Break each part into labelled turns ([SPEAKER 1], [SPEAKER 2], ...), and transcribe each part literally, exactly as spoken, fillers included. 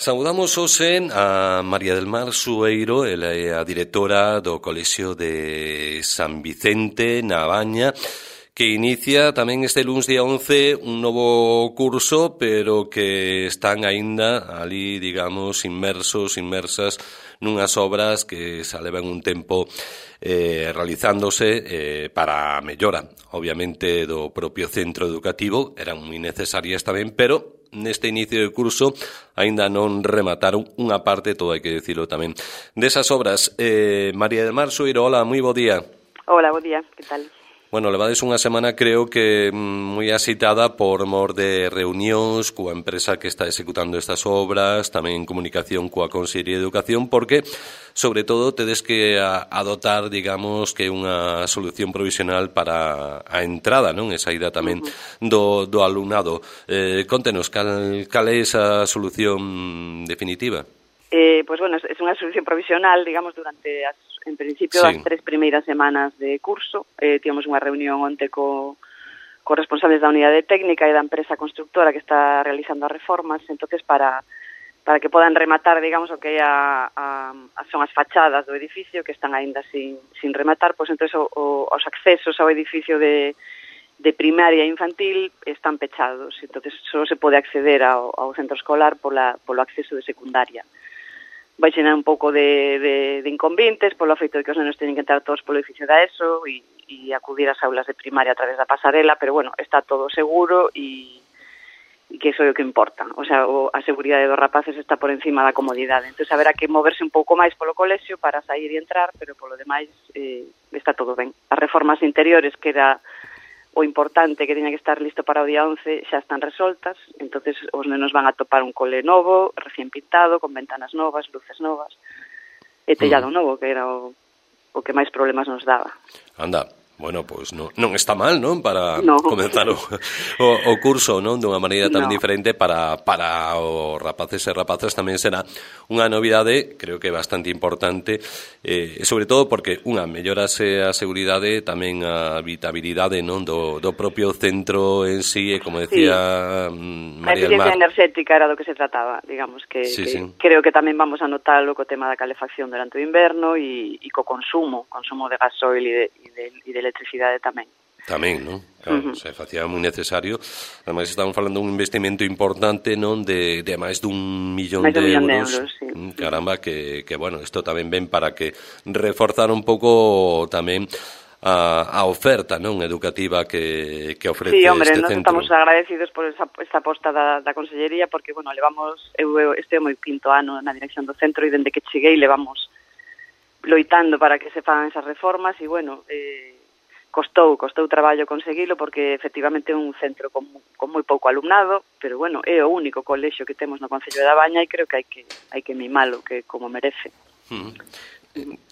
[SPEAKER 1] Saudamos hoxe a María del Mar Sueiro, ela é a directora do Colexio de San Vicente na Baña, que inicia tamén este luns día once un novo curso, pero que están aínda ali, digamos, inmersos, inmersas nunhas obras que xa levan un tempo eh, realizándose eh, para a mellora, obviamente, do propio centro educativo. Eran moi necesarias tamén, pero neste inicio de curso aínda non remataron unha parte, todo hai que dicilo tamén, desas obras. Eh, María del Mar Sueiro, hola, moi bo día.
[SPEAKER 2] Hola, bo día, que tal?
[SPEAKER 1] Bueno, levades unha semana, creo que moi axitada por mor de reunións coa empresa que está executando estas obras, tamén en comunicación coa Consellería de Educación, porque, sobre todo, tedes que adotar, digamos, que unha solución provisional para a entrada, non? E saída tamén do, do alumnado. Eh, contenos, cal, cal é esa solución definitiva?
[SPEAKER 2] Eh, pues bueno, é unha solución provisional, digamos, durante as, en principio, sí, as tres primeiras semanas de curso. Eh, tivemos unha reunión onte co, co responsables da unidade técnica e da empresa constructora que está realizando as reformas, entonces para para que podan rematar, digamos, o que é a, a, a son as fachadas do edificio que están aínda sin, sin rematar, pois entonces o, o, os accesos ao edificio de de primaria e infantil están pechados, entonces só se pode acceder ao, ao centro escolar pola, polo acceso de secundaria. Vai xenar un pouco de, de, de inconvenientes polo feito de que os nenos teñen que entrar todos polo edificio da ESO e, e acudir ás aulas de primaria a través da pasarela, pero bueno, está todo seguro e, e que iso é o que importa. O sea, o, a seguridade dos rapaces está por encima da comodidade. Entón, haberá que moverse un pouco máis polo colexio para sair e entrar, pero polo demais eh, está todo ben. As reformas interiores, que era o importante que tiña que estar listo para o día once, xa están resoltas, entonces os nenos van a topar un cole novo, recién pintado, con ventanas novas, luces novas, e tellado mm. novo, que era o, o que máis problemas nos daba.
[SPEAKER 1] Anda, bueno, pois pues non, non está mal, non? Para
[SPEAKER 2] no.
[SPEAKER 1] comenzar o, o, o curso, non? Dunha maneira tan no. diferente para, para os rapaces e rapazas tamén será unha novidade, creo que bastante importante, eh, sobre todo porque, unha, mellorase a seguridade, tamén a habitabilidade, non? Do, do propio centro en sí, e como decía sí. María del Mar.
[SPEAKER 2] A eficiencia enerxética era do que se trataba, digamos, que,
[SPEAKER 1] sí,
[SPEAKER 2] que
[SPEAKER 1] sí.
[SPEAKER 2] creo que tamén vamos a notalo co tema da calefacción durante o inverno e, e co consumo, consumo de gasoil e de, e de, e de electricidade tamén.
[SPEAKER 1] Tamén, non? Claro, uh -huh. se facía moi necesario. Ademais, estamos falando dun investimento importante, non? De, de máis dun millón
[SPEAKER 2] máis
[SPEAKER 1] de
[SPEAKER 2] millón
[SPEAKER 1] euros.
[SPEAKER 2] De euros sí.
[SPEAKER 1] Caramba, que, que, bueno, isto tamén ven para que reforzar un pouco tamén a, a oferta, non? Educativa que, que ofrece
[SPEAKER 2] sí, hombre,
[SPEAKER 1] este
[SPEAKER 2] nos
[SPEAKER 1] centro.
[SPEAKER 2] Estamos agradecidos por esa, esta aposta da, da Consellería, porque, bueno, levamos, eu, eu, este é o meu quinto ano na dirección do centro e dende que cheguei levamos loitando para que se fagan esas reformas e, bueno, eh, Costou, costou traballo conseguilo porque efectivamente é un centro con, con moi pouco alumnado, pero bueno, é o único colexio que temos no Concello da Baña e creo que hai que hai que mimalo, que como merece.
[SPEAKER 1] Uh -huh.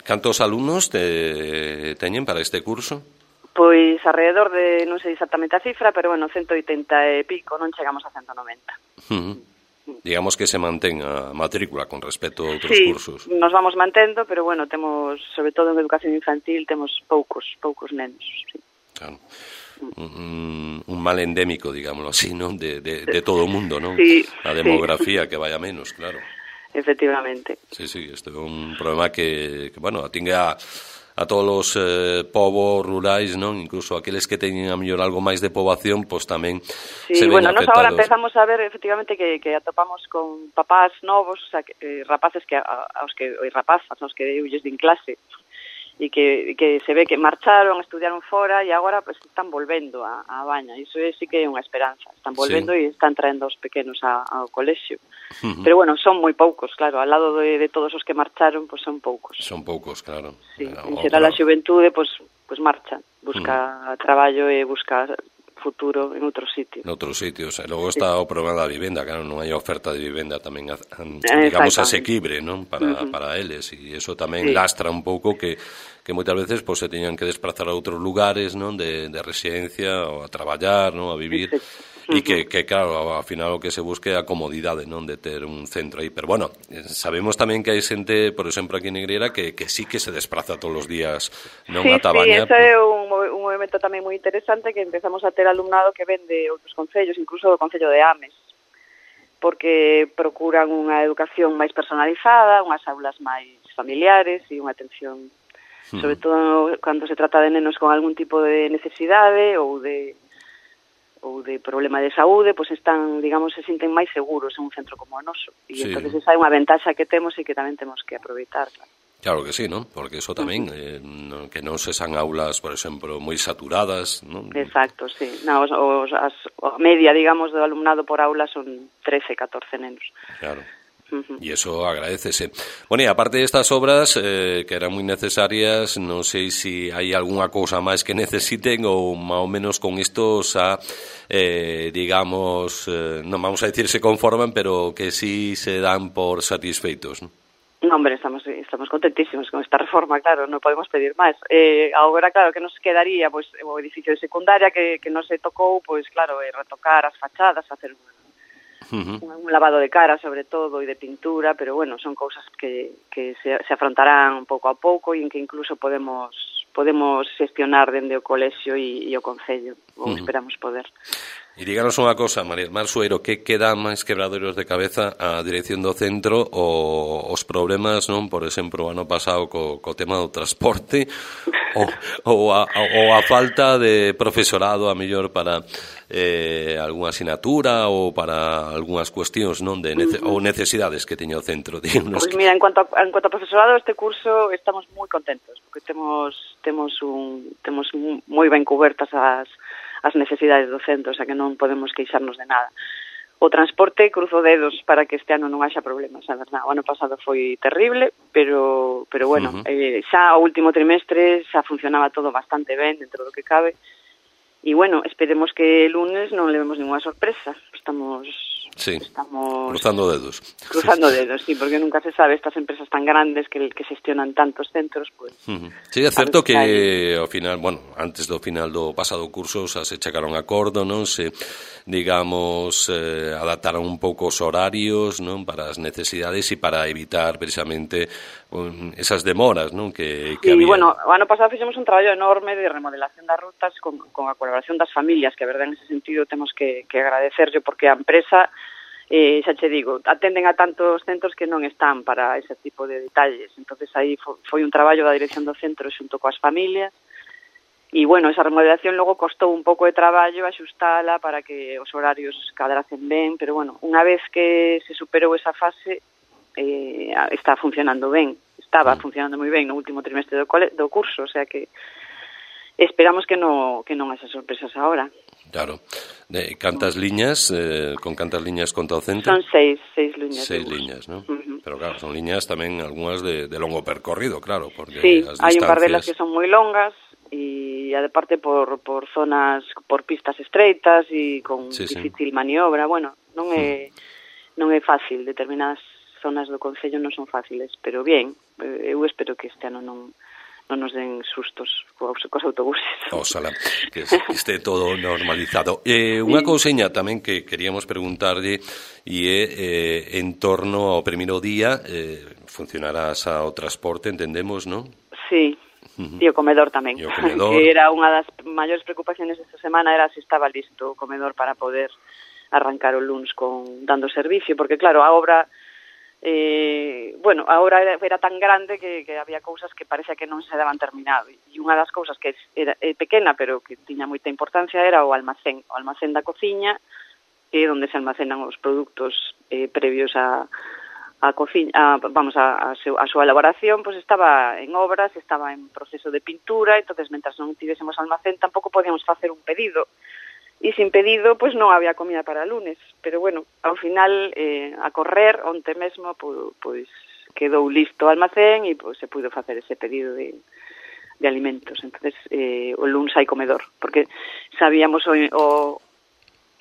[SPEAKER 1] Cantos alumnos te, teñen para este curso?
[SPEAKER 2] Pois alrededor de, non sei exactamente a cifra, pero bueno, ciento oitenta e pico, non chegamos a ciento noventa.
[SPEAKER 1] Uh -huh. Digamos que se mantén a matrícula con respecto a outros
[SPEAKER 2] sí,
[SPEAKER 1] cursos.
[SPEAKER 2] Sí, nos vamos mantendo, pero bueno, temos, sobre todo en educación infantil, temos poucos, poucos nenos, sí.
[SPEAKER 1] Claro. Un, un mal endémico, digámoslo así, ¿no? De, de, de todo o mundo, ¿no?
[SPEAKER 2] Sí,
[SPEAKER 1] a demografía sí. Que vaya menos, claro.
[SPEAKER 2] Efectivamente.
[SPEAKER 1] Sí, sí, isto é un problema que, que bueno, atingue a a todos os eh, povos rurais, non? Incluso aqueles que teñen a mellor algo máis de poboación, pois tamén
[SPEAKER 2] sí,
[SPEAKER 1] se ven
[SPEAKER 2] bueno,
[SPEAKER 1] afectados.
[SPEAKER 2] Nos agora empezamos a ver efectivamente que, que atopamos con papás novos, o sea, que, eh, rapaces que a, aos que e rapazas, aos que eulles din clase e que, que se ve que marcharon, estudiaron fora e agora pues están volvendo a, a Baña. Iso é sí que é unha esperanza. Están volvendo sí. E están traendo os pequenos a, ao colexio. Uh -huh. Pero bueno, son moi poucos, claro, ao lado de, de todos os que marcharon, pues son poucos.
[SPEAKER 1] Son poucos, claro.
[SPEAKER 2] Sí, en xeral a xuventude pues, pues marcha, busca uh -huh. traballo e busca futuro en outros sitios.
[SPEAKER 1] En outros sitios. E logo está sí. o problema da vivenda, claro, non hai oferta de vivenda tamén, digamos, asequible, non? Para, uh -huh. para eles, e iso tamén sí. lastra un pouco que, que moitas veces pues, se teñan que desplazar a outros lugares, non? De, de residencia, ou a traballar, non? A vivir. Sí. E que, que, claro, ao final o que se busque é a comodidade, non, de ter un centro aí. Pero, bueno, sabemos tamén que hai xente, por exemplo, aquí en Negreira, que, que sí que se desplaza todos os días, non,
[SPEAKER 2] sí,
[SPEAKER 1] a Tabaña.
[SPEAKER 2] Sí, ese é un, un movimento tamén moi interesante, que empezamos a ter alumnado que ven de outros concellos, incluso do Concello de Ames. porque procuran unha educación máis personalizada, unhas aulas máis familiares e unha atención, uh-huh. sobre todo cando se trata de nenos con algún tipo de necesidade ou de ou de problema de saúde, pois están, digamos, se sinten máis seguros en un centro como o noso. E sí. entonces esa é unha ventaxa que temos e que tamén temos que aproveitar, claro.
[SPEAKER 1] Claro que sí, ¿no? Porque eso tamén, uh-huh. eh, no, que non se san aulas, por exemplo, moi saturadas, ¿no?
[SPEAKER 2] Exacto, sí. No, os, os, as, a media, digamos, do alumnado por aula son trece, catorce nenos.
[SPEAKER 1] Claro. Uh-huh. Y eso agradecese. Bueno, y aparte de estas obras, eh, que eran muy necesarias, non sei si hai algunha cousa máis que necesiten ou máis ou menos con isto xa, eh, digamos, eh, non vamos a decir se conforman, pero que sí se dan por satisfeitos, ¿no?
[SPEAKER 2] No, hombre, estamos estamos contentísimos con esta reforma, claro, non podemos pedir máis. Eh, agora, claro, que nos quedaría pois, o edificio de secundaria que, que non se tocou, pois claro, eh, retocar as fachadas, facer un, uh-huh. un, un lavado de cara, sobre todo, e de pintura, pero bueno, son cousas que, que se, se afrontarán pouco a pouco e en que incluso podemos podemos xestionar dende o colexio e, e o concello, ou uh-huh. esperamos poder.
[SPEAKER 1] E díganos unha cosa, María del Mar Sueiro, que queda máis quebraderos de cabeza a dirección do centro ou os problemas, non? Por exemplo, o ano pasado co, co tema do transporte ou, ou, a, ou a falta de profesorado a mellor para eh, algunha asignatura ou para algunhas cuestións, non? De nece, ou necesidades que teña o centro.
[SPEAKER 2] Pois pues mira, en cuanto, a, en cuanto a profesorado, este curso estamos moi contentos, porque temos temos un temos moi ben cubertas as as necesidades do centro, o sea que non podemos queixarnos de nada. O transporte, cruzo dedos para que este ano non haxa problemas, a verdad. O ano pasado foi terrible, pero pero bueno, uh-huh. eh, xa o último trimestre xa funcionaba todo bastante ben dentro do que cabe. E bueno, esperemos que el lunes non levemos ninguna sorpresa. Estamos
[SPEAKER 1] sí,
[SPEAKER 2] estamos
[SPEAKER 1] cruzando dedos.
[SPEAKER 2] Cruzando dedos, sí, porque nunca se sabe, estas empresas tan grandes que que xestionan tantos centros, pues.
[SPEAKER 1] Uh-huh. Sí, é certo que ao final, bueno, antes do final do pasado curso xa se chegaron a acordo, non? Se, digamos, eh, adaptaron un pouco os horarios, non? Para as necesidades e para evitar precisamente um, esas demoras, non? Que, que
[SPEAKER 2] sí,
[SPEAKER 1] había.
[SPEAKER 2] Bueno, o ano pasado fixemos un traballo enorme de remodelación das rutas con, con a colaboración das familias, que a verdade en ese sentido temos que, que agradecerlle, porque a empresa, eh, xa che digo, atenden a tantos centros que non están para ese tipo de detalles. Entonces aí fo, foi un traballo da dirección do centro xunto coas familias. E, bueno, esa remodelación logo costou un pouco de traballo axustala para que os horarios cadracen ben, pero, bueno, unha vez que se superou esa fase, eh, está funcionando ben. Estaba funcionando moi ben no último trimestre do, cole, do curso, o sea que esperamos que, no, que non haxa sorpresas agora.
[SPEAKER 1] Claro. De cantas liñas, eh, con cantas liñas conta o centro?
[SPEAKER 2] Son seis, seis liñas.
[SPEAKER 1] Seis liñas, ¿no? Uh-huh. Pero claro, son liñas tamén algunhas de, de longo percorrido, claro, porque
[SPEAKER 2] sí,
[SPEAKER 1] as
[SPEAKER 2] hai
[SPEAKER 1] distancias...
[SPEAKER 2] un par delas que son moi longas e aparte por, por zonas, por pistas estreitas e con sí, difícil sí. maniobra, bueno, non é, hmm. non é fácil, determinadas zonas do concello non son fáciles, pero bien, eu espero que este ano non non nos den sustos cos, cos autobuses.
[SPEAKER 1] Oxalá, que este todo normalizado. Eh, unha sí. couseña tamén que queríamos preguntarlle e é eh, en torno ao primeiro día, eh, funcionará xa o transporte, entendemos, non?
[SPEAKER 2] Sí. Uh-huh. E o comedor tamén,
[SPEAKER 1] o comedor.
[SPEAKER 2] Que era unha das maiores preocupaciones esta semana, era se estaba listo o comedor para poder arrancar o luns con dando servicio, porque claro, a obra eh, bueno, a obra era, era tan grande que, que había cousas que parecía que non se daban terminado, e unha das cousas que era é pequena, pero que tiña moita importancia, era o almacén, o almacén da cociña, que é onde se almacenan os produtos eh, previos a a cociña, a, vamos, a, a, seu, a súa elaboración, pois pues estaba en obras, estaba en proceso de pintura, entonces, mentras non tivésemos almacén, tampouco podíamos facer un pedido, e sin pedido, pois pues, non había comida para lunes, pero bueno, ao final, eh, a correr, onte mesmo, pois, pois quedou listo o almacén e pois, se puido facer ese pedido de, de alimentos, entonces, eh, o lunes hai comedor, porque sabíamos o, o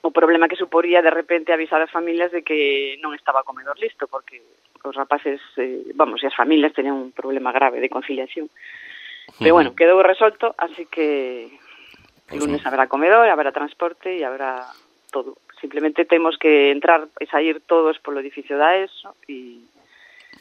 [SPEAKER 2] o problema que suporía de repente avisar as familias de que non estaba o comedor listo, porque os rapaces, eh, vamos, e as familias tenían un problema grave de conciliación. Pero bueno, quedou resolto, así que el lunes habrá comedor, habrá transporte e habrá todo. Simplemente temos que entrar e sair todos polo edificio da ESO e...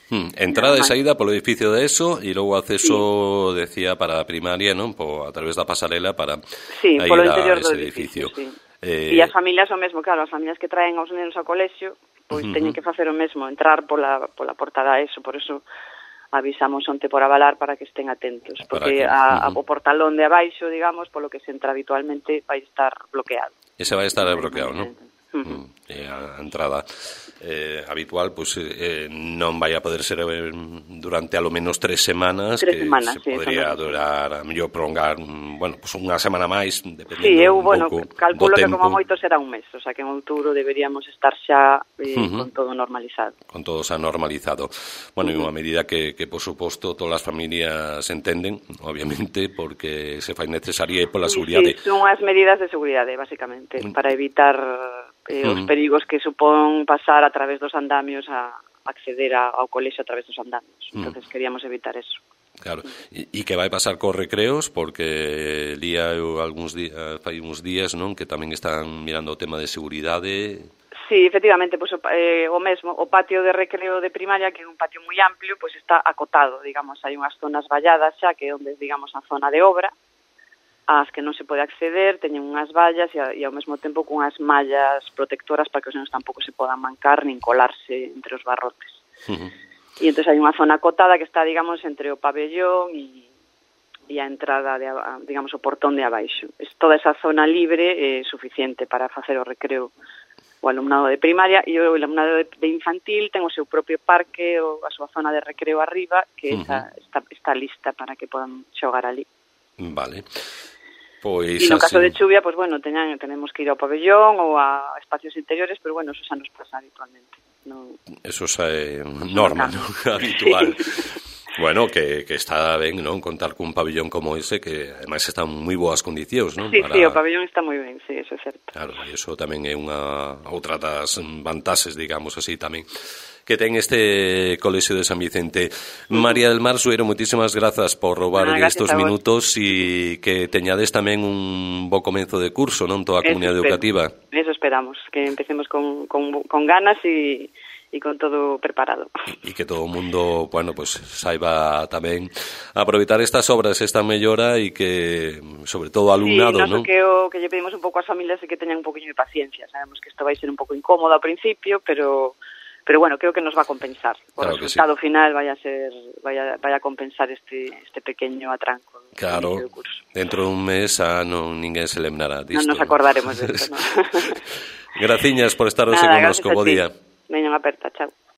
[SPEAKER 1] Hmm, entrada e saída polo edificio de ESO e logo acceso, sí. decía, para a primaria, non? Po, a través da pasarela para
[SPEAKER 2] sí,
[SPEAKER 1] ir
[SPEAKER 2] polo interior
[SPEAKER 1] a ese
[SPEAKER 2] do
[SPEAKER 1] edificio.
[SPEAKER 2] edificio sí.
[SPEAKER 1] Eh...
[SPEAKER 2] E as familias o mesmo, claro, as familias que traen aos nenos ao colexio, pois
[SPEAKER 1] Uh-huh.
[SPEAKER 2] teñen que facer o mesmo, entrar pola, pola porta da ESO, por eso avisamos onte por avalar para que estén atentos, porque
[SPEAKER 1] que,
[SPEAKER 2] a,
[SPEAKER 1] uh-huh.
[SPEAKER 2] a, o portalón de abaixo, digamos, polo que se entra habitualmente, vai estar bloqueado.
[SPEAKER 1] Ese vai estar bloqueado, non?
[SPEAKER 2] Uh-huh.
[SPEAKER 1] E a entrada eh, habitual pues, eh, non vai a poder ser eh, durante alo menos tres semanas,
[SPEAKER 2] tres
[SPEAKER 1] que
[SPEAKER 2] semanas,
[SPEAKER 1] se
[SPEAKER 2] sí,
[SPEAKER 1] podría durar a mellor prolongar bueno, pues unha semana máis, dependendo
[SPEAKER 2] sí, eu,
[SPEAKER 1] un
[SPEAKER 2] bueno,
[SPEAKER 1] pouco
[SPEAKER 2] calculo
[SPEAKER 1] do
[SPEAKER 2] que
[SPEAKER 1] tempo.
[SPEAKER 2] como moito será un mes, o sea que en outubro deberíamos estar xa eh,
[SPEAKER 1] Uh-huh.
[SPEAKER 2] con todo normalizado.
[SPEAKER 1] Con todo xa normalizado. Bueno, uh-huh. e unha medida que, que, por suposto, todas as familias entenden, obviamente, porque se fai necesaria pola
[SPEAKER 2] Sí,
[SPEAKER 1] seguridade.
[SPEAKER 2] sí, son as medidas de seguridade, basicamente, para evitar eh, os
[SPEAKER 1] uh-huh. perigos
[SPEAKER 2] que supón pasar a través dos andamios a acceder a, ao colexio a través dos andamios.
[SPEAKER 1] Uh-huh.
[SPEAKER 2] Entonces queríamos evitar eso.
[SPEAKER 1] Claro, e, e que vai pasar cos recreos, porque lía eu algúns días, fai uns días, non, que tamén están mirando o tema de seguridade.
[SPEAKER 2] Sí, efectivamente, pues, eh, o mesmo, o patio de recreo de primaria, que é un patio moi amplio, pues está acotado, digamos, hai unhas zonas valladas xa, que é onde, digamos, a zona de obra, ás que non se pode acceder, teñen unhas vallas e, e ao mesmo tempo con unhas mallas protectoras para que os nenos tampouco se podan mancar nin colarse entre os barrotes.
[SPEAKER 1] Uh-huh.
[SPEAKER 2] E entón hai unha zona acotada que está, digamos, entre o pabellón e, e a entrada, de, digamos, o portón de abaixo. Es, toda esa zona libre é eh, suficiente para facer o recreo o alumnado de primaria, e o alumnado de, de infantil ten o seu propio parque, ou a súa zona de recreo arriba, que uh-huh. esa, está, está lista para que podan xogar ali.
[SPEAKER 1] Vale. Pois
[SPEAKER 2] e no
[SPEAKER 1] así...
[SPEAKER 2] caso de chuvia, pues bueno, teñan, tenemos que ir ao pabellón ou a espacios interiores, pero bueno, eso xa nos pasa habitualmente. No...
[SPEAKER 1] Eso xa é norma, no, no? Habitual. Sí. Bueno, que, que está ben, non, contar cun pabellón como ese, que ademais está en moi boas condicións, non?
[SPEAKER 2] Sí,
[SPEAKER 1] Para...
[SPEAKER 2] sí, o pabellón está moi ben, sí, eso é certo.
[SPEAKER 1] Claro, e iso tamén é unha outra das vantaxes, digamos así, tamén que ten este colexio de San Vicente. Uh-huh. María del Mar Sueiro, moitísimas grazas por roubar ah, estos minutos e que teñades tamén un bo comenzo de curso, non, toda a comunidade educativa.
[SPEAKER 2] Eso esperamos, que empecemos con, con, con ganas e e con todo preparado.
[SPEAKER 1] E que todo o mundo, bueno, pues saiba tamén aproveitar estas obras, esta mellora e que, sobre todo, alumnado,
[SPEAKER 2] sí,
[SPEAKER 1] non?
[SPEAKER 2] Sí, que o que lle pedimos un pouco ás familias é que teñan un poquinho de paciencia. Sabemos que isto vai ser un pouco incómodo ao principio, pero pero bueno, creo que nos va a compensar. O
[SPEAKER 1] claro
[SPEAKER 2] resultado
[SPEAKER 1] sí.
[SPEAKER 2] final vai a ser vai a, vai a compensar este este pequeño atranco.
[SPEAKER 1] Claro,
[SPEAKER 2] do curso.
[SPEAKER 1] Dentro dun mes ah, non ninguén se lembrará disto.
[SPEAKER 2] Non nos acordaremos ¿no? de isto, ¿no?
[SPEAKER 1] Graciñas por estar hoxe connosco, bo día.
[SPEAKER 2] Veñan aperta, chao.